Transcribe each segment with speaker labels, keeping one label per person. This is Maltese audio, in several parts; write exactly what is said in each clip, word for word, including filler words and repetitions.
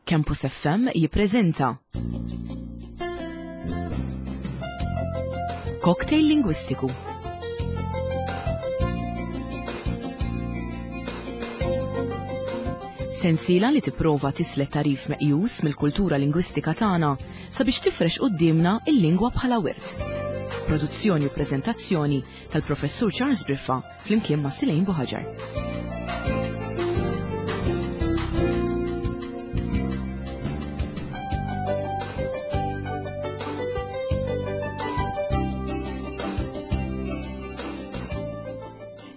Speaker 1: Campus F M jippreżenta Cocktail Lingwistiku. Sensiela li tipprova tislet tarif meqjus mill-kultura lingwistika tagħna sabiex tifrex quddiemna il-lingwa bħala wirt. Produzzjoni u preżentazzjoni tal-Professur Charles Briffa flimkien ma' Silejn Buħaġar.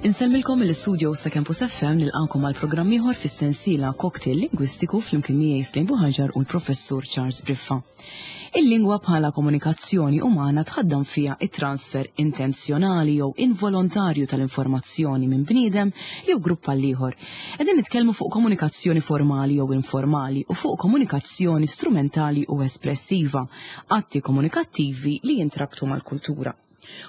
Speaker 1: Insellmilkom mill-istudio ta' Campus F M, nilqakom għal programm ieħor fis-sensiela Cocktail Lingwistiku flimkien miegħi Slejn Buħaġar u l-Professur Charles Briffa. Il-lingwa bħala komunikazzjoni umana tħaddam fiha it-transfer intenzjonali jew involontarju tal-informazzjoni minn bniedem jew grupp għal ieħor. Qegħdin nitkellmu fuq komunikazzjoni formali jew informali u fuq komunikazzjoni strumentali u espressiva, atti komunikattivi li jintrabtu mal-kultura.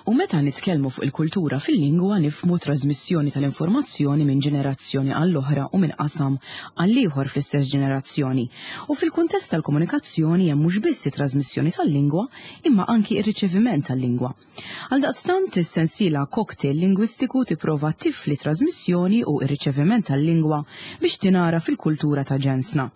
Speaker 1: U meta nitkellmu fuq il-kultura fil-lingwa nifhmu trasmissjoni tal-informazzjoni minn ġenerazzjoni għall-oħra u minn qasam għall-ieħor fl-istess ġenerazzjoni. U fil-kuntest tal-komunikazzjoni hemm mhux biss it-trasmissjoni tal-lingwa imma anki ir-riċeviment tal-lingwa. Għaldaqstant is-sensiela Cocktail Lingwistiku tipprova tifli trasmissjoni u ir-riċeviment tal-lingwa biex tingħaraf fil-kultura ta' ġensna.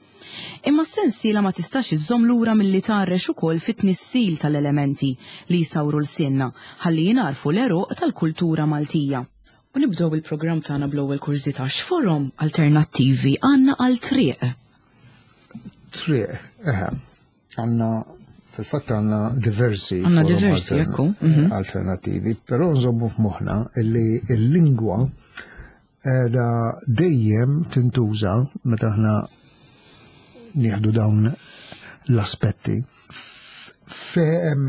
Speaker 1: Imma s-sensiela ma tistax iżżomm lura milli tgħarrex ukoll fit-tnissil tal-elementi li jsawru lsienna ħalli jingħarfu l-għeruq tal-kultura Maltija. U nibdew il-programm tagħna bl-ewwel kurżità: x'forom alternattivi għandna għal triq?
Speaker 2: Triq, eħe, għandna fil-fatt għandna diversi
Speaker 1: Għandna
Speaker 2: forom
Speaker 1: diversi,
Speaker 2: altern-
Speaker 1: ekku, mhm.
Speaker 2: alternattivi, però nżommu f'moħħna illi il-lingwa da dejjem tintuża meta aħna nieħdu dawn l-aspetti fejn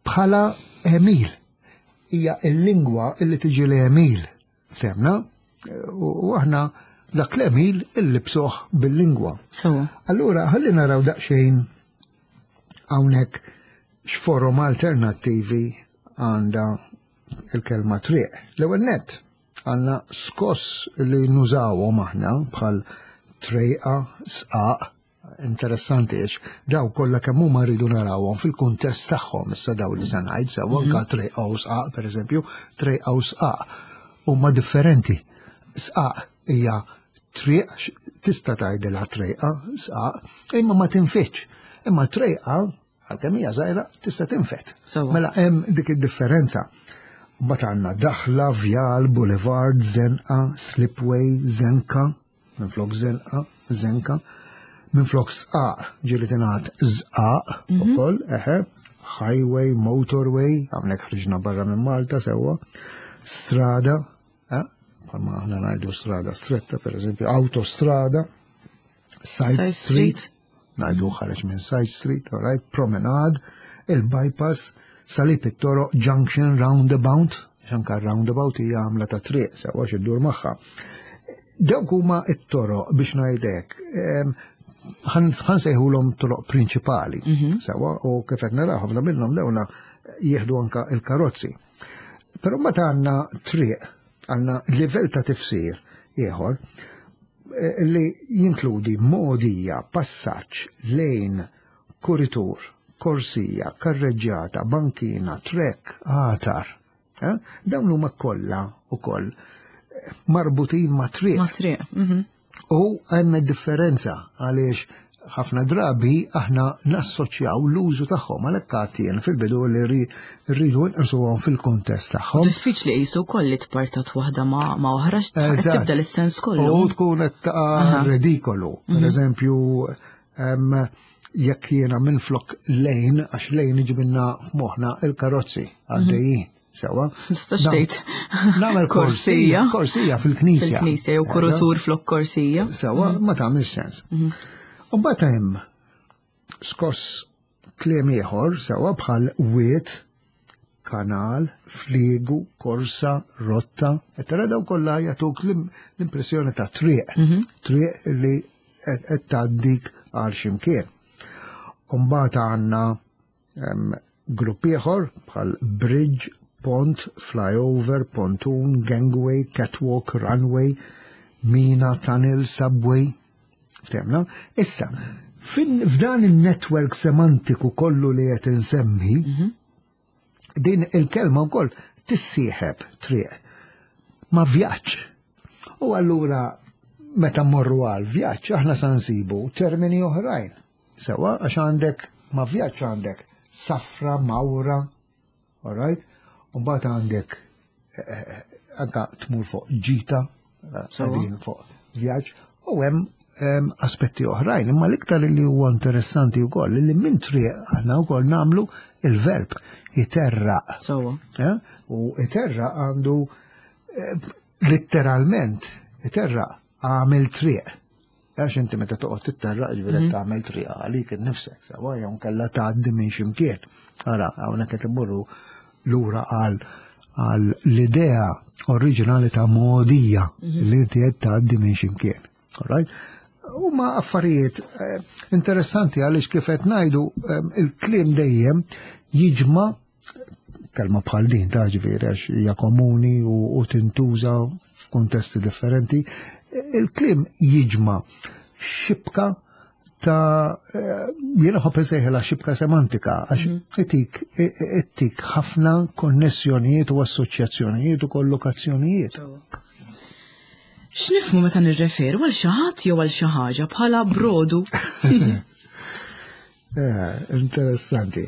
Speaker 2: bħala għemil. Hija il-lingwa illi tiġi l-għemil, fhimna? U u aħna dak l-għemil illibsuh bil-lingwa.
Speaker 1: Sewa.
Speaker 2: Allura, ħalli naraw daqsxejn hawnhekk x'forom alternattivi għandha il-kelma triq. L-ewwel nett għandna skoss li nużawhom aħna bħal trejqa, sqaq, interessanti għax daw kollha kemm huma rridu narawhom fil-kuntest tagħhom issa daw li se ngħid sew anke trejqa u sqaq, pereżempju, trejqa u sqaq huma differenti. Sqaq hija triq, tista' tgħidilha trejqa, sqaq, imma ma tinfitx. Imma trejqa, għalkemm hija żgħira, tista' tinfet.
Speaker 1: Sewa.
Speaker 2: Mela hemm dik id-differenza. Mbagħad għandna daħla, vjal, boulevard, zenqa, slipway, zenka, minflok zenqa, zenka, minflok sqaq, ġieli tingħad żqaq ukoll, eħe, highway, motorway, hawnhekk ħriġna barra minn Malta sewwa, strada, eh, bħalma aħna ngħidu strada stretta, per eżempju, autostrada, side,
Speaker 1: Side
Speaker 2: street,
Speaker 1: street.
Speaker 2: ngħidu ħareġ minn side street, all right, promenade, il-bypass, salib it-toroq, junction, roundabout, anka roundabout hija għamla ta' triq, sewwa x'iddur magħha. Dawk huma it-toroq biex ngħidlek, em, ħan sejħulhom toroq prinċipali, sewwa, u kif qed naraw ħafna minnhom dawna jieħdu anka il-karozzi. Però meta għandna triq, għandna livell ta' tifsir ieħor eh, li jinkludi mogħdija, passaġġ, lane, kuritur, korsija, karreġġjata, bankina, trek, għatar. Eh? Dawn huma kollha ukoll marbutin ma' triq.
Speaker 1: Ma' triq. mhm.
Speaker 2: U hemm differenza għaliex ħafna drabi aħna nassoċjaw l-użu tagħhom, għalhekk għatien fil-bidu li ri- rridu nqisuhom fil-kuntest tagħhom.
Speaker 1: Diffiċli qisu wkoll li tpartat waħda ma' ma' oħra,
Speaker 2: Eżatt.
Speaker 1: tibda l-sens kollu.
Speaker 2: U tkun qed taqa'
Speaker 1: Aha.
Speaker 2: ridikolu. Per eżempju, em, jekk jiena minflok lane, għax lane iġibinna f'moħħna il-karozzi għaddejjin. Sewa.
Speaker 1: Nistax
Speaker 2: Nam-
Speaker 1: tgħid.
Speaker 2: Nagħmel korsija.
Speaker 1: Korsija.
Speaker 2: Korsija fil-knisja.
Speaker 1: Fil-knisja jew kurutur flok korsija.
Speaker 2: Sewa, ma tagħmilx sens. U mbagħad hemm skoss kliem ieħor sewa bħal wiet, kanal, fliegu, korsa, rotta, et tara daw kollha jagħtuk l- l-impressjoni ta' triq, triq li qed qed tgħaddik għal x'imkien. U mbagħad għandna em, grupp ieħor bħal bridge, pont, flyover, pontoon, gangway, catwalk, runway, mina, tunnel, subway. Ftehmna? Issa, f'dan il-network semantiku kollu li qed insemmi, mhm. din il-kelma wkoll tissieħeb triq ma' vjaġġ. U allura meta mmorru għal vjaġġ aħna sa nsibu termini oħrajn. Sewa għax għandek ma' vjaġġ għandek safra, mawra, all right? U mbagħad għandek eh, eh, anka tmur fuq ġita, qegħdin fuq vjaġġ, u hemm aspetti oħrajn, imma l-iktar li huwa interessanti wkoll li minn triq aħna wkoll nagħmlu il-verb iterraq.
Speaker 1: Sewwa.
Speaker 2: Eh? U iterraq għandu letteralment iterraq għamel triq. Għax inti meta toqgħod titterraq ġifieri mhm. tagħmel triq għalik innifsek, sewwa jew kellha tgħaddi minn x'imkien. Ara, hawnhekk qed immorru lura għal għal l-idea oriġinali ta' mogħdija mhm. li inti qed tgħaddi minn x'imkien. All right? Huma affarijiet eh, interessanti għaliex kif qed ngħidu eh, il-kliem dejjem jiġma' kelma bħal din ta' ġifieri għax hija komuni u, u tintuża f'kuntesti differenti, il-kliem jiġma' xibka ta' eh, jiena ħobb insejħilha xibka semantika għax mhm. itik itik ħafna konnessjonijiet u assoċjazzjonijiet u kollokazzjonijiet.
Speaker 1: X'nifhmu meta nirreferu għal xi ħadd jew għal xi ħaġa bħala brodu?
Speaker 2: Eh, interessanti.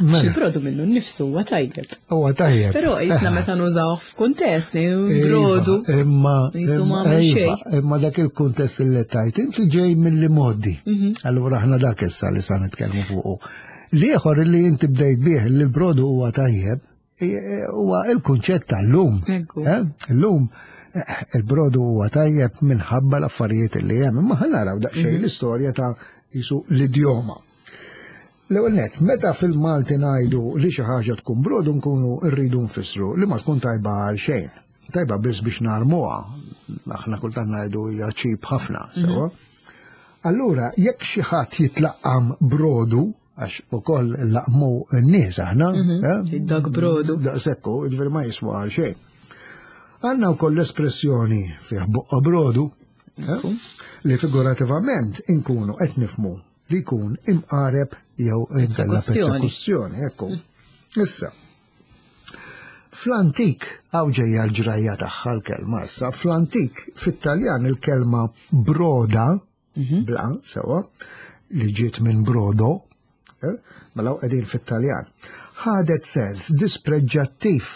Speaker 1: Mela. Il-brodu minnu nnifsu huwa tajjeb.
Speaker 2: Huwa tajjeb.
Speaker 1: Però jisna meta nużawh f'kuntest, iva, brodu.
Speaker 2: Imma iva, imma dak il-kuntest li tajt, inti ġej mill-modi. Mhm. Allura aħna dak issa li sa nitkellmu fuqu. L-ieħor li inti bdejt bih li l-brodu huwa tajjeb, huwa il-kunċett tal-lum. Eh? Illum eh, il-brodu huwa tajjeb minħabba l-affarijiet li hemm, imma ħa naraw daqsxejn mhm. l-istorja ta' jisu l-idjoma. L-ewwel nett, meta fil-Malti ngħidu li xi ħaġa tkun brodu nkunu rridu nfissru li ma tkun tajba għal xejn. Tajba biss biex narmuha. Aħna kultant ngħidu hija cheap ħafna, mhm. sewwa. Allura, jekk xi ħadd jitlaqqam brodu, għax ukoll laqmu n-nies aħna,
Speaker 1: mhm. eh? Dak brodu.
Speaker 2: Daqsekku, ġifieri ma jiswa għal xejn. Għandna wkoll l-espressjoni fih boqqa brodu, eh? li figurativament inkunu qed nifmu li jkun imqareb jew inkella persekuzzjoni, ekku. Issa, fl-antik, għaw ġejja l-ġrajja tagħha l-kelma issa, fl-antik, fit-Taljan il-kelma broda, mhm. bla, sewa, li ġiet minn brodo, eh, mela qegħdin fit-Taljan, ħadet sens dispreġġattiv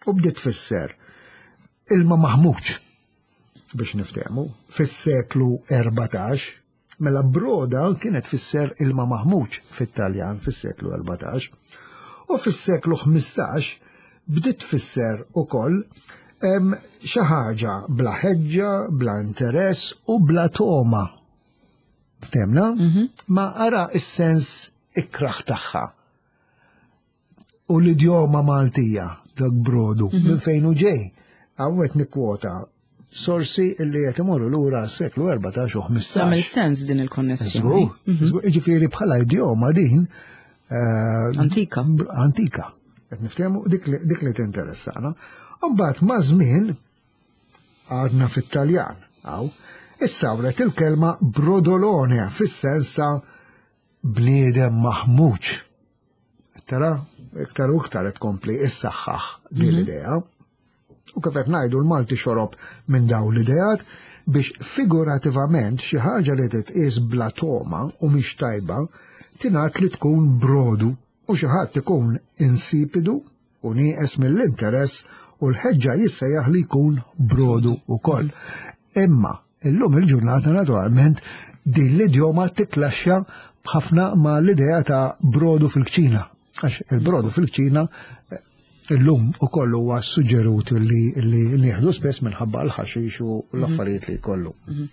Speaker 2: u bdiet tfisser ilma maħmuġ biex niftehmu fis-seklu erbatax. Mela broda kienet tfisser ilma maħmuġ fit-Taljan fis-seklu erbatax u fis-seklu ħmistax bdiet tfisser ukoll xi ħaġa bla ħeġġa, bla interess u bla togħma. Ftemna? Mhm. Ma ara is-sens ikraħ tagħha. U l-idjoma Maltija, dak brodu, mhm. minn fejn hu ġej. Hawn qed nikkwota sorsi illi qed imorru lura s-seklu erbatax u ħmistax.
Speaker 1: Tagħmel sens din il-konnessjoni.
Speaker 2: Żgur, mhm. jiġifieri bħala idjoma din eh,
Speaker 1: antika.
Speaker 2: Antika. Qed niftehmu dik li tinteressana. Mbagħad ma' żmien għadna fit-Taljan, għaw, issawret il-kelma brodolone fis-sens ta' bniedem maħmuġ. Tara, iktar u iktar qed tkompli issaħħaħ din mhm. l-idea. U kif qed ngħidu l-Malti xorob minn dawn l-ideat biex figurativament xi ħaġa li titqies bla togħma u mhix tajba tingħad li tkun brodu u xi ħadd ikun insipidu u nieqes mill-interess u l-ħeġġa jissejjaħ li jkun brodu wkoll. Imma illum il-ġurnata naturalment din l-idjoma tiklaxxa ħafna ma l-idea ta' brodu fil-kċina. Għax il-brodu fil-kċina eh, illum ukoll huwa suġġerut li li nieħdu spess minħabba l-ħaxix u l-affarijiet li jkollu.
Speaker 1: Mhm.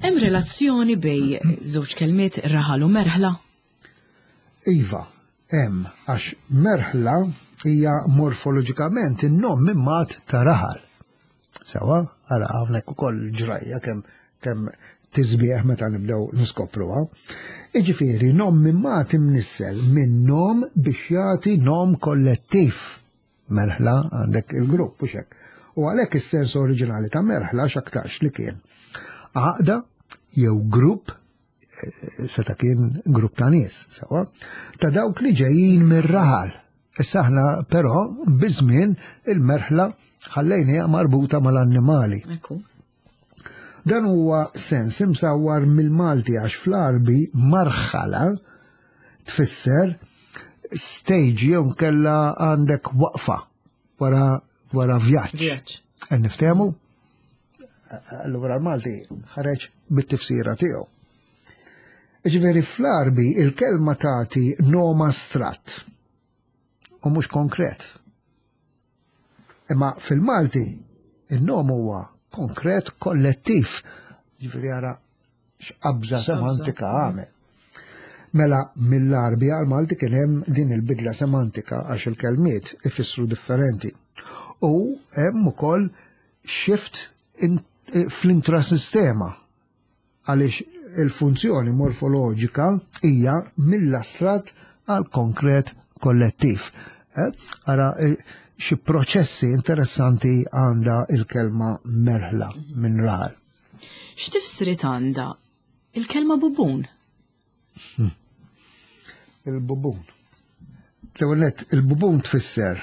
Speaker 1: Hemm relazzjoni bej żewġ kelmiet raħal u merħla?
Speaker 2: Iva, hemm, għax merħla hija morfoloġikament in-nom mimmat ta' raħal. Sewa, ara hawnhekk ukoll ġrajja kemm kemm tisbieħ meta nibdew niskopruha. Iġifieri nom mimmat imnissel minn nom biex jagħti nom kollettiv. Merħla għandek il-grupp u xek. U għalhekk is-sens oriġinali ta' merħla x'aktarx li kien Għaqda jew grupp, eh, seta kien grupp ta' nies, sewa, ta' dawk li ġejjin mir-raħal. Issa aħna però biż-żmien il-merħla ħallejniha marbuta mal-annimali.
Speaker 1: Ekku.
Speaker 2: Dan huwa sens imsawwar mill-Malti għax fl-Arbi marħala tfisser stage jew kella għandek waqfa wara wara vjaġġ.
Speaker 1: Vjaġġ.
Speaker 2: Qed niftehmu? Allura l-Malti ħareġ bit-tifsira tiegħu. Ġifieri fl-Arbi il-kelma tagħti nom astratt u mhux konkret. Imma fil-Malti il-nom huwa konkret kollettiv. Ġifieri ara x'qabża semantika għamel. Mela mill-Arbi għal Malti kien hemm din il-bidla semantika għax il-kelmiet ifissru differenti. U hemm ukoll shift in, fl-intrasistema għaliex il-funzjoni morfoloġika hija mill-astratt għal konkret kollettiv. Eh? Ara, eh, xi proċessi interessanti għandha il-kelma merħla minn raħal.
Speaker 1: X'tifsiriet għandha il-kelma bubun?
Speaker 2: Il-bubun. L-ewwel nett, il-bubun tfisser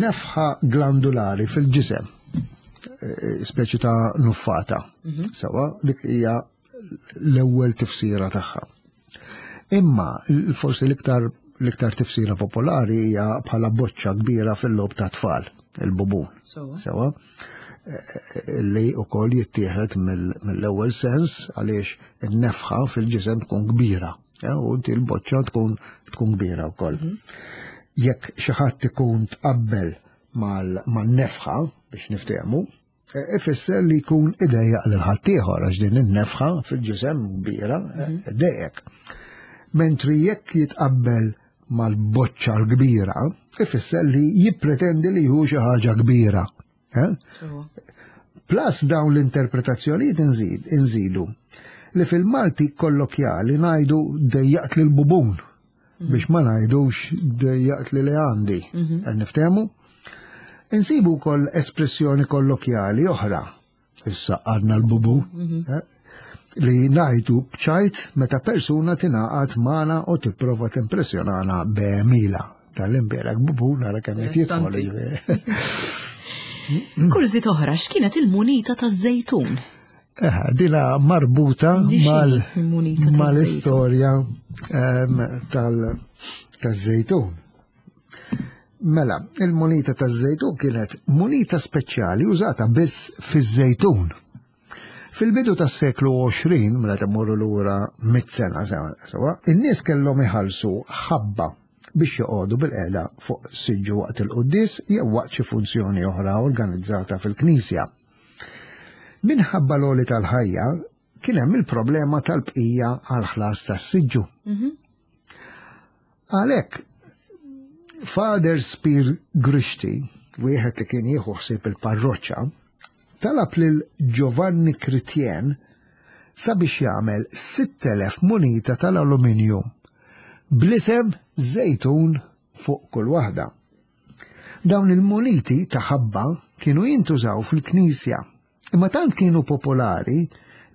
Speaker 2: nefħa glandulari fil-ġisem, eh, speċi ta' nuffata. Sewa, dik hija l-ewwel tifsira tagħha. Imma forsi l-iktar l-iktar tifsira popolari hija bħala boċċa kbira fil-logħob ta' tfal, il-bubun.
Speaker 1: Sewa.
Speaker 2: Sewa, eh, li wkoll jittieħed mill- mill-ewwel sens għaliex in-nefħa fil-ġisem tkun kbira, eh, u inti l-boċċa tkun tkun kbira wkoll. Jekk xi ħadd ikun tqabbel mal- man-nefħa biex niftehmu, eh, ifisser li jkun idejjaq lil ħaddieħor għax din in-nefħa fil-ġisem kbira eh, idejjek. Mentri jekk jitqabbel mal-boċċa l-kbira, ifisser li jippretendi li hu xi ħaġa kbira. Eh?
Speaker 1: Sewa.
Speaker 2: Plus dawn l-interpretazzjonijiet inżid, inżidu li fil-Malti kollokjali ngħidu dejjaqt lil bubun biex ma ngħidux dejjaqt li li għandi. Qed niftehmu? Insibu wkoll espressjoni kollokjali oħra. Issa għandna l-bubun. eh, Li ngħidu b'ċajt meta persuna tingħaqad magħna u tipprova timpressjonana b'għemila. Tal-imbierek bubun nara kemm qed jidħol.
Speaker 1: Kurżità oħra, x'kienet il-munita taż-żejtun?
Speaker 2: Eh, dina marbuta
Speaker 1: Di x'inhi
Speaker 2: mal
Speaker 1: il-munita taż-żejtun?
Speaker 2: mal-istorja em, tal- taż-żejtun. Mela, il-munita taż-żejtun kienet munita speċjali użata biss fiż-żejtun. Fil-bidu tas-seklu għoxrin, mela temmurru lura mit sena sewa, in-nies kellhom iħallsu ħabba biex joqogħdu bil-qeda fuq siġġu waqt il-quddies jew waqt xi funzjoni oħra organizzata fil-knisja. Minħabba l-għoli tal-ħajja, kien hemm il-problema tal-bqija għal ħlas tas-siġġu. Għalhekk, Father Spir Grixti, wieħed li kien jieħu ħsieb il-parroċċa, talab lil Giovanni Critien sabiex jagħmel sitt elef munita tal-alluminju bl-isem Żejtun fuq kull waħda. Dawn il-muniti ta' ħabba kienu jintużaw fil-knisja, imma tant kienu popolari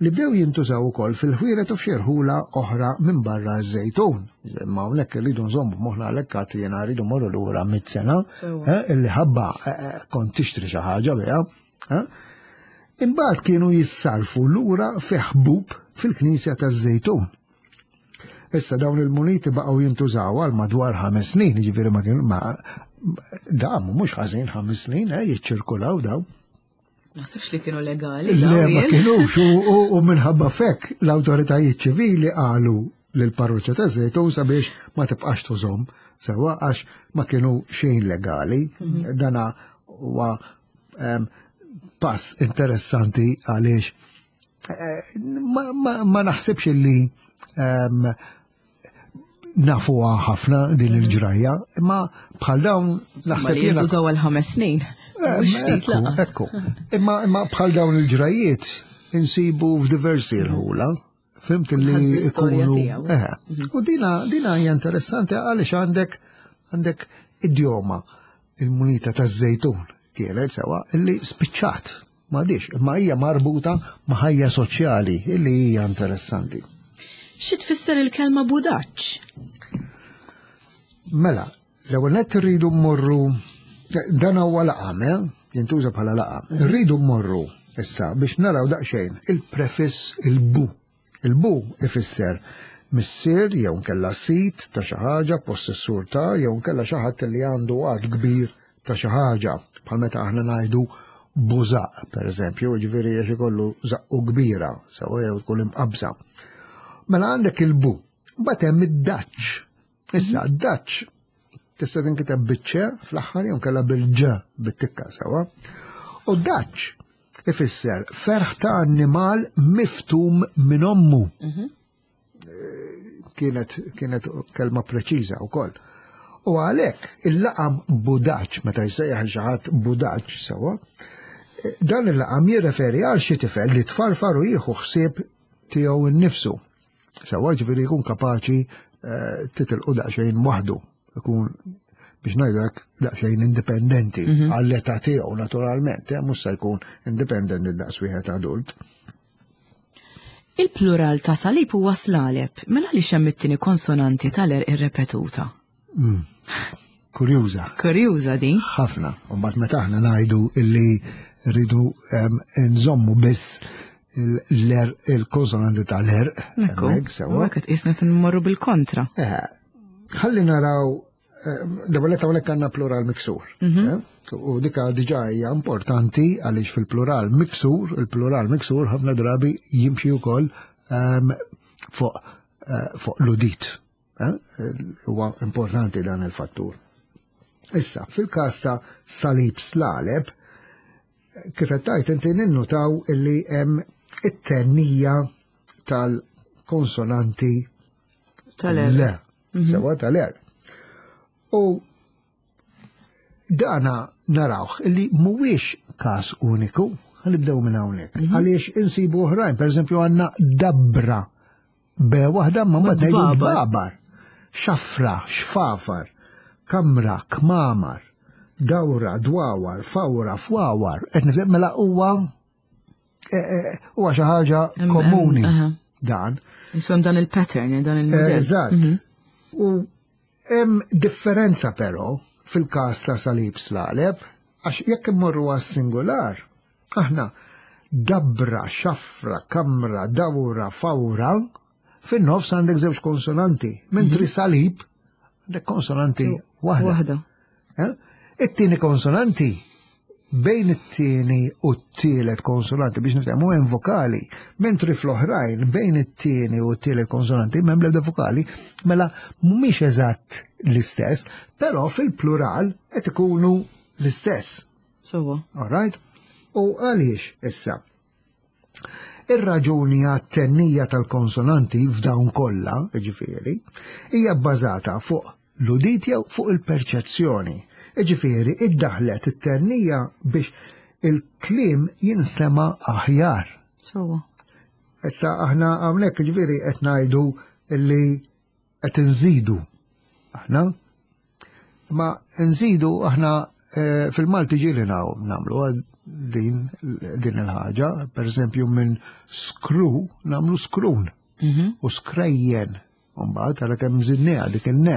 Speaker 2: li bdew jintużaw ukoll fil-ħwienet u f'xi rħula oħra minn barra ż-Żejtun. Imma hawnhekk irridu nżommu moħħna, għalhekk għad jiena rridu morru lura mit sena,
Speaker 1: Sewa.
Speaker 2: eh, illi ħabba eh, eh, kont tixtri xi ħaġa biha. eh. Imbagħad kienu jissarfu lura fi ħbub fil-knisja taż-Żejtun. Issa dawn il-muniti baqgħu jintużaw għal madwar ħames snin, jiġifieri ma kienu ma damu mhux ħażin ħames snin, eh, jiċċirkulaw dawn.
Speaker 1: Naħsibx li kienu legali.
Speaker 2: Le,
Speaker 1: dawn
Speaker 2: ma
Speaker 1: jien.
Speaker 2: kienux, u- u u minħabba fek l-autoritajiet ċivili qalu lill-parroċċa ta' Żejtun sabiex ma tibqax tużhom sewa għax ma kienu xejn legali. Dana huwa em, pass interessanti għaliex eh, ma, ma, ma naħsibx li em, nafuha ħafna din il-ġrajja, imma bħal dawn
Speaker 1: Insomma,
Speaker 2: naħseb
Speaker 1: li
Speaker 2: jiena
Speaker 1: jintużaw għal ħames snin.
Speaker 2: Eh,
Speaker 1: Mhux ftit
Speaker 2: Ekku,
Speaker 1: lanqas.
Speaker 2: ekku. Imma imma bħal dawn il-ġrajiet insibu f'diversi rħula. Fhimt li
Speaker 1: Kulħadd bl-istorja
Speaker 2: ikunu.
Speaker 1: tiegħu.
Speaker 2: Eh, U dina dina hija interessanti għaliex għandek għandek idjoma, il-munita taż-żejtun kienet sewa illi spiċċat. M'għadix, imma hija marbuta ma' ħajja soċjali illi hija interessanti.
Speaker 1: Xi tfisser il-kelma budaċ?
Speaker 2: Mela, l-ewwel nett irridu mmorru dan huwa laqam, eh? Jintuża bħala laqam. Irridu mmorru issa biex naraw daqsxejn il-prefiss il-bu. Il-bu ifisser missier jew nkella sit ta' xi ħaġa, possessur ta' jew nkella xi ħadd li għandu għad kbir ta' xi ħaġa, bħal meta aħna ngħidu bużaq, per eżempju, ġifieri għax ikollu żaqqu kbira, sewa jew tkun imqabsa. Mela għandek il-bu, mbagħad hemm id-daċ. Issa, d-daċ tista' tinkiteb biċ-ċe fl-aħħar jew nkella bil-ġ bit-tikka sewa. U daċ ifisser ferħ ta' annimal miftum minn ommu. Kienet, kienet kelma preċiża wkoll. U għalhekk il-laqam budaċ, meta jsejjaħ xi ħadd budaċ sewa, dan il-laqam jirreferi għal xi tifel li tfarfar u jieħu ħsieb tiegħu nnifsu. Sewa ġifieri jkun kapaċi eh, titilqu daqsxejn waħdu, ikun biex ngħidu hekk daqsxejn indipendenti għall-età tiegħu naturalment, eh, mhux se jkun indipendenti daqs wieħed adult.
Speaker 1: Il-plural ta' salib huwa slaleb, mela għaliex hemm it-tieni konsonanti tal-er irrepetuta.
Speaker 2: Kurjuża.
Speaker 1: Kurjuża din.
Speaker 2: ħafna. U mbagħad meta aħna ngħidu illi rridu em, nżommu biss l-er il-konsonanti tal-er.
Speaker 1: Ekku,
Speaker 2: hemmhekk, sewa.
Speaker 1: hekk qed qisna nmorru bil-kontra.
Speaker 2: Eh, Ħalli naraw, dabalet hawnhekk għandna plural miksur. eh? U dika diġà hija importanti għaliex fil-plural miksur, il-plural miksur ħafna drabi jimxi wkoll ehm, fuq eh, fuq l-udit. eh? Huwa importanti dan il-fattur. Issa, fil-każ ta' salib slaleb, kif qed tgħid inti ninnutaw illi hemm it-tennija tal-konsonanti
Speaker 1: Tal-er.
Speaker 2: Le, sewa tal-er. U dana narawh illi mhuwiex każ uniku, ħanibdew minn hawnhekk. Għaliex insibu oħrajn, pereżempju għandna dabra be waħda ma mbagħad ngħidu
Speaker 1: Babar.
Speaker 2: babar, xafra, xfafar, kamra, kmamar, dawra, dwawar, fawra, fwawar. Qed nifhem mela huwa eh, eh, huwa xi ħaġa
Speaker 1: Hemm-
Speaker 2: komuni
Speaker 1: hemm, aha.
Speaker 2: dan.
Speaker 1: Insomma dan il-pattern, dan il-modell.
Speaker 2: Eżatt. U hemm differenza però fil-każ ta' salib slaleb, għax jekk immorru għas-singular, aħna dabra, xafra, kamra, dawra, fawra, fin-nofs għandek żewġ konsonanti, mentri salib għandek konsonanti waħda.
Speaker 1: Waħda.
Speaker 2: Eh? It-tieni konsonanti bejn it-tieni u t-tielet konsonanti biex niftehmu hemm vokali, mentri fl-oħrajn bejn it-tieni u t-tielet konsonanti m'hemm l-ebda vokali, mela mhumiex eżatt l-istess, però fil-plural qed ikunu l-istess.
Speaker 1: Sewa.
Speaker 2: All right? U għaliex issa? Ir-raġuni għat-tennija tal-konsonanti f'dawn kollha, ġifieri, hija bbażata fuq l-udit jew fuq il-perċezzjoni. Ġifieri, iddaħlet it-tennija biex il-kliem jinstema aħjar.
Speaker 1: Sewa.
Speaker 2: Issa aħna hawnhekk ġifieri qed ngħidu li qed inżidu. Aħna ma nżidu aħna eh, fil-Malti ġieli nagħmlu din din il-ħaġa, per eżempju minn skru nagħmlu skrun u skrejjen. Mbagħad ara kemm żidniha dik in-ne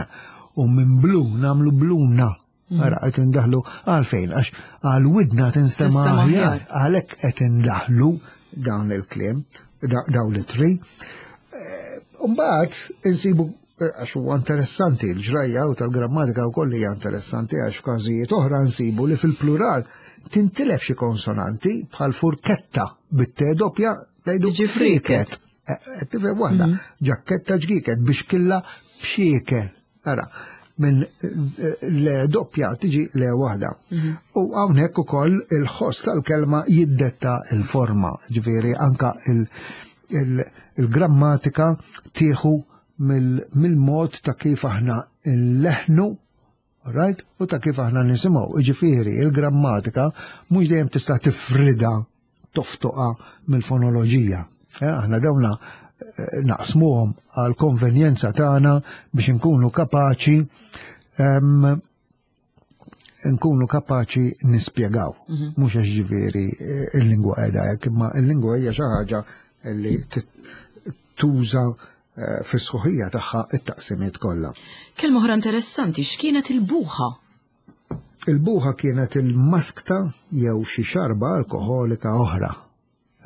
Speaker 2: u minn blu nagħmlu bluna. Ara qed indaħlu għalfejn għax għal widna tinstema'
Speaker 1: Tinstema'
Speaker 2: aħjar.
Speaker 1: aħjar.
Speaker 2: Għalhekk qed indaħlu dawn il-kliem, da- dawn l-ittri. Mbagħad insibu eh, għax huwa interessanti l-ġrajja u tal-grammatika wkoll hija interessanti għax f'każijiet oħra nsibu li fil-plural tintilef xi konsonanti bħal furketta bit-t doppja ngħidu
Speaker 1: Jiġi
Speaker 2: friket. Eh, eh, Tifhem waħda, ġakketta ġgiket biex killa bxiekel. Ara, minn eh, le doppja tiġi le waħda. U hawnhekk ukoll il-ħoss tal-kelma jiddetta il-forma, ġifieri anka il- il- il-grammatika tieħu mill- mill-mod ta' kif aħna nleħnu right? U ta' kif aħna nisimgħu. Ġifieri, il-grammatika mhux dejjem tista' tifrida toftoqa mill-fonoloġija. Eh, Aħna dawna eh, naqsmuhom għal konvenjenza tagħna biex inkunu kapaċi em, nkunu kapaċi nispjegaw. Mhux għax ġifieri eh, il-lingwa qiegħda hekk, imma il-lingwa hija xi ħaġa li t- tuża eh, fis-sħuħija tagħha it-taqsimiet kollha.
Speaker 1: Kelma oħra interessanti, x'kienet il-buħa?
Speaker 2: Il-buħa kienet il-maskta jew xi xarba alkoholika oħra.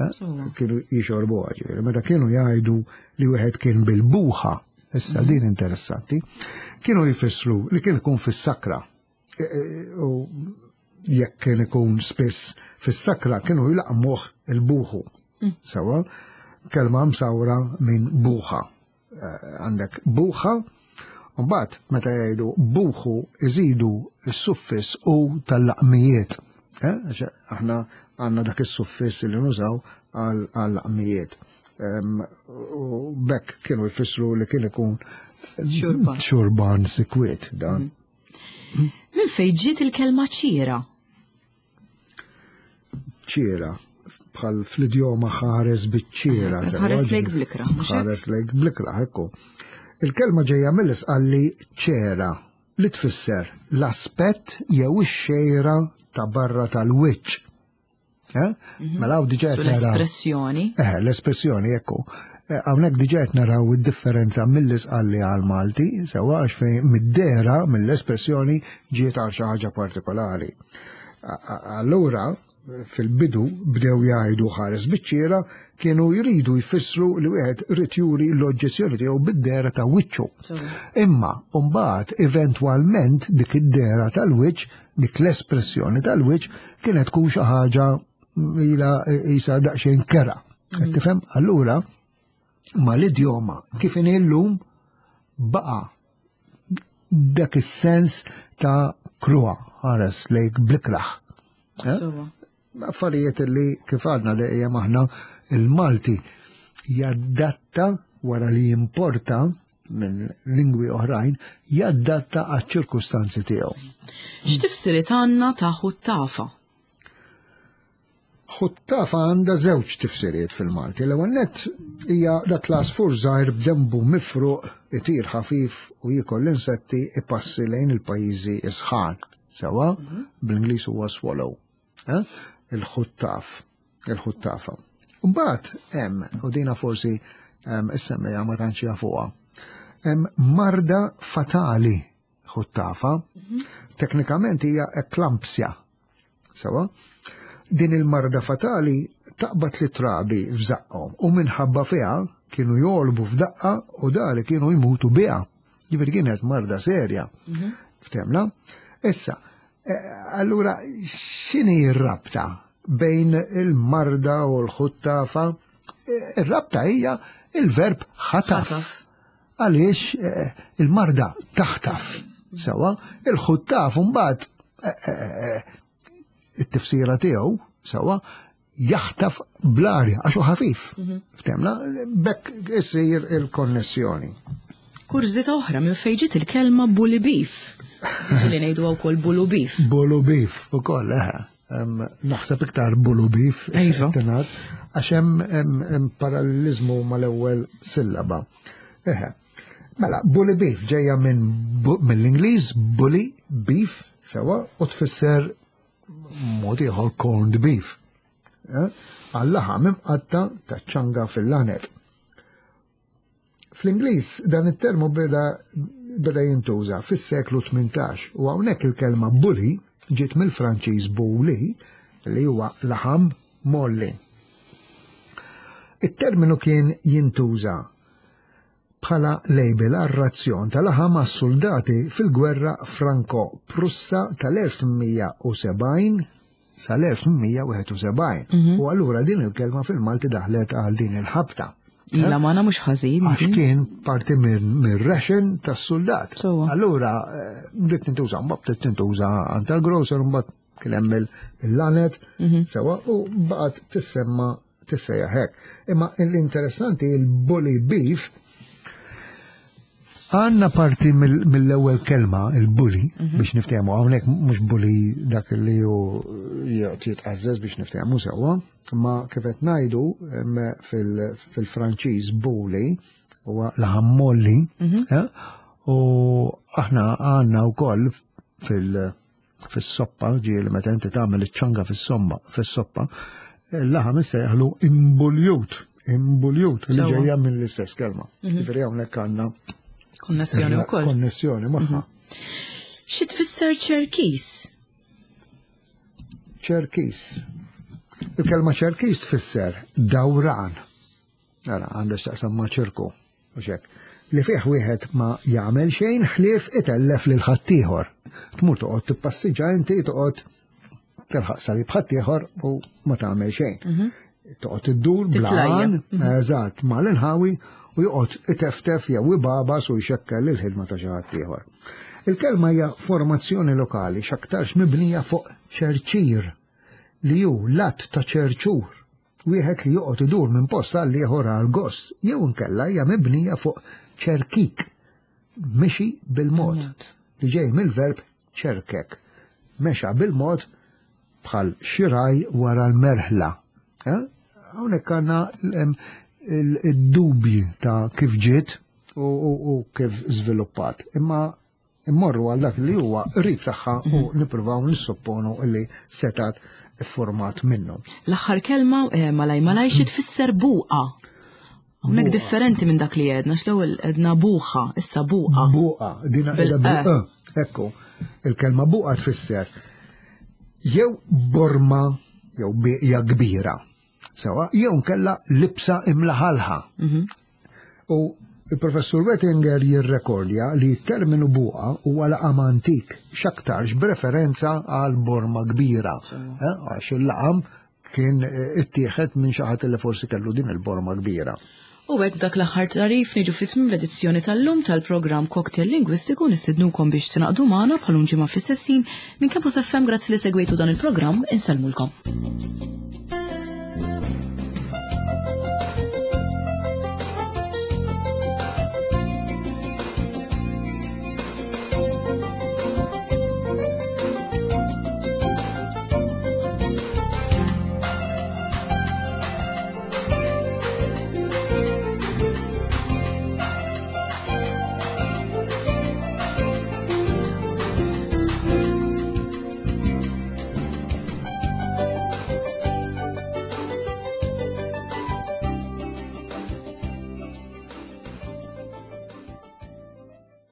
Speaker 2: Eh?
Speaker 1: Sewwa.
Speaker 2: Kienu jixorbuha ġifieri. Meta kienu jgħidu li wieħed kien bil-buħa, issa din interessanti, kienu jfissru li kien ikun fis-sakra. E- e- U jekk kien ikun spiss fis-sakra kienu jlaqmuh il-buħu. Sewwa, kelma msawra minn buħa. Eh, Għandek buħa, Mbagħad meta jgħidu buħu iżidu s-suffis u tal-laqmijiet. Eh, għax Aħna għandna dak is-suffis li nużaw għal laqmijiet. Em, U bekk kienu jfissru li kien ikun
Speaker 1: Xurban.
Speaker 2: xurban sikwiet dan.
Speaker 1: Minn fejn ġiet il-kelma ċira?
Speaker 2: ċira bħal fl-idjoma ħares biċ-ċira.
Speaker 1: Ħares lejk bl-ikrah, mhux hekk?
Speaker 2: Ħares lejk bl-ikrah, ekku. Il-kelma ġejja mill-Isqalli ċera li tfisser l-aspett jew ix-xejra ta' barra tal-wiċċ. Eh? Mela hawn diġà
Speaker 1: Su
Speaker 2: qed naraw.
Speaker 1: l-espressjoni.
Speaker 2: Eh, l-espressjoni, ekku. Eh, Hawnhekk diġà qed naraw id-differenza mill-Isqalli għal Malti, sewwa għax fejn mid-dehra mill-espressjoni ġiet għal xi ħaġa partikolari. A- a- Allura, fil-bidu bdew jgħidu ħares biċ-ċiera kienu jridu jfissru li wieħed irid juri l-oġġezzjoni tiegħu bid-dehra ta' wiċċu.
Speaker 1: Sewwa.
Speaker 2: Imma mbagħad eventwalment dik id-dehra tal-wiċċ, dik l-espressjoni tal-wiċċ kienet tkun xi ħaġa ila isa daqsxejn kerha. Qed Tifhem? Allura ma l-idjoma kif inhi llum baqa' dak is-sens ta' kruha ħares lejk bl-ikrah. Eh?
Speaker 1: Sewwa.
Speaker 2: Affarijiet li kif għadna dejjem aħna il-Malti jaddatta wara li jimporta minn lingwi oħrajn, jaddatta għaċ-ċirkustanzi tiegħu.
Speaker 1: X'tifsiriet għandna ta' ħuttafa?
Speaker 2: Ħuttafa għandha żewġ tifsiriet fil-Malti. L-ewwel nett hija dak l-għasfur żgħir b'denbu mifruq itir ħafif u jiekol l-insetti ipassi lejn il-pajjiżi isħan. Sewwa, bl-Ingliż huwa swallow. Eh? Il-ħuttaf, il-ħuttafa. Mbagħad hemm, u dina forsi em, is-semmija ma tantx jafuha. Hemm marda fatali ħuttafa. Teknikament hija eklampsja. Sewwa? Din il-marda fatali taqbad lit-trabi f'żaqqhom u minħabba fiha kienu jogħlbu f'daqqa u dari kienu jmutu biha. Ġifieri kienet marda serja. Ftemna? Issa, eh, allura x'inhi r-rabta bejn il-marda u l-ħuttafa? Eh, Ir-rabta hija il-verb ħataf.
Speaker 1: Ħataf.
Speaker 2: Għaliex eh, il-marda taħtaf. Sewwa, il-ħuttaf mbagħad eh, eh, eh, it-tifsira tiegħu sewwa jaħtaf bl-arja għax hu ħafif. Ftemna, bekk isir il-konnessjoni.
Speaker 1: Kurżità oħra minn fejn ġiet il-kelma bully beef. Ġieli ngħidu wkoll bulu beef.
Speaker 2: Bulu beef ukoll, eħe. Em, Naħseb iktar bulu beef.
Speaker 1: Iva.
Speaker 2: tingħad, Għax hemm hemm- hemm parallelizmu mal-ewwel sillaba. Eħe. Mela, bully beef ġejja minn bu- mill-Ingliż bully beef sewwa u tfisser mod ieħor corned beef. Eh? Għal-laħam imqatta ta' ċanga fil-lanet. Fl-Ingliż dan it-termu beda beda jintuża fis-seklu tmintax u hawnhekk il-kelma bully ġiet mill-Franċiż bouli li huwa laħam molli. It-terminu kien jintuża bħala label għar-razzjon tal-laħam għas-soldati fil-gwerra Franko-Prussa tal-elf tmien mija u sebgħin sal-elf tmien mija u wieħed u sebgħin. U allura din il-kelma fil-Malti daħlet għal din il-ħabta.
Speaker 1: Ila magħna mhux ħażin.
Speaker 2: Għax kien parti mir-ration tas-soldat.
Speaker 1: Sewwa.
Speaker 2: Allura, eh, bdiet tintuża, mbagħad bdiet tintuża għand tal-grocer, mbagħad kien hemm il-lanet, sewwa, u baqgħet tissemma tissejjaħ hekk. Imma l-interessanti il-bully beef għandna parti mill- mill-ewwel kelma, il-bully, biex niftehmu, hawnhekk mhux bully dak li hu jitqażżeż biex niftehmu sewwa, imma kif qed ngħidu em, fil- fil-Franċiż bully huwa laħam molli, eh, u aħna għandna wkoll fil- Fis-soppa, ġieli meta inti tagħmel iċ-ċanga fis-somma, fis-soppa, il-laħam issejjaħlu imbuljut, imbuljut, li ġejja minn l-istess kelma. Mhm. Ġifieri hawnhekk għandna
Speaker 1: konnessjoni wkoll.
Speaker 2: Konnessjoni magħha. Mhm.
Speaker 1: Xi tfisser ċerkis?
Speaker 2: Ċerkis. Il-kelma ċerkis tfisser dawran. Ara, għandha x'taqsam ma' ċirku, u xek. Li fih wieħed ma jagħmel xejn ħlief itellef lil ħaddieħor. Tmur toqgħod tippassiġġa inti, toqgħod tilħaq salib ħaddieħor u ma tagħmel xejn. Mhm. Toqgħod iddur blan, mhm. eżatt, mal-inħawi u joqgħod iteftef jew ibabas u jxekkel il-ħidma ta' xi ħadd ieħor. Il-kelma hija formazzjoni lokali x'aktarx mibnija fuq ċerċir li hu l-att ta' ċerċur, wieħed li joqgħod idur minn post għal ieħor għal gost, jew inkella hija mibnija fuq ċerkik, mixi bil-mod, li ġej mill-verb ċerkek, mexa bil-mod bħal xiraj wara l-merħla. Eh? Hawnhekk għandna id-dubji ta' kif ġiet u kif żviluppat. Imma immorru għal dak li huwa qrib tagħha u mhm. nippruvaw nissupponu li setat format minnu.
Speaker 1: L-aħħar kelma eh, malaj malaj xi tfisser buqa. Hawnhekk differenti minn dak li għedna, x'l-ewwel għedna buħa, issa buqa.
Speaker 2: Buqa, dina qiegħda bil Ekku, il-kelma buqa tfisser jew borma jew bieqja kbira. Sewa, jew nkella libsa imlaħalħa. Mhm. U il-professur Wettinger jirrekordja li t-terminu buqa huwa laqam antik, x'aktarx b'referenza għal borma kbira. Eh, għax il-laqam kien eh, ittieħed minn xi ħadd li forsi kellu din il-borma kbira.
Speaker 1: U hekk dak l-aħħar tarif niġu fi tmiem l-edizzjoni tal-lum tal-programm Cocktail Lingwistiku. Nistednukom biex tingħaqdu magħna bħal ġimgħa fl-istess ħin minn Campus F M. Grazzi li segwejtu dan il-programm, insellmulkom.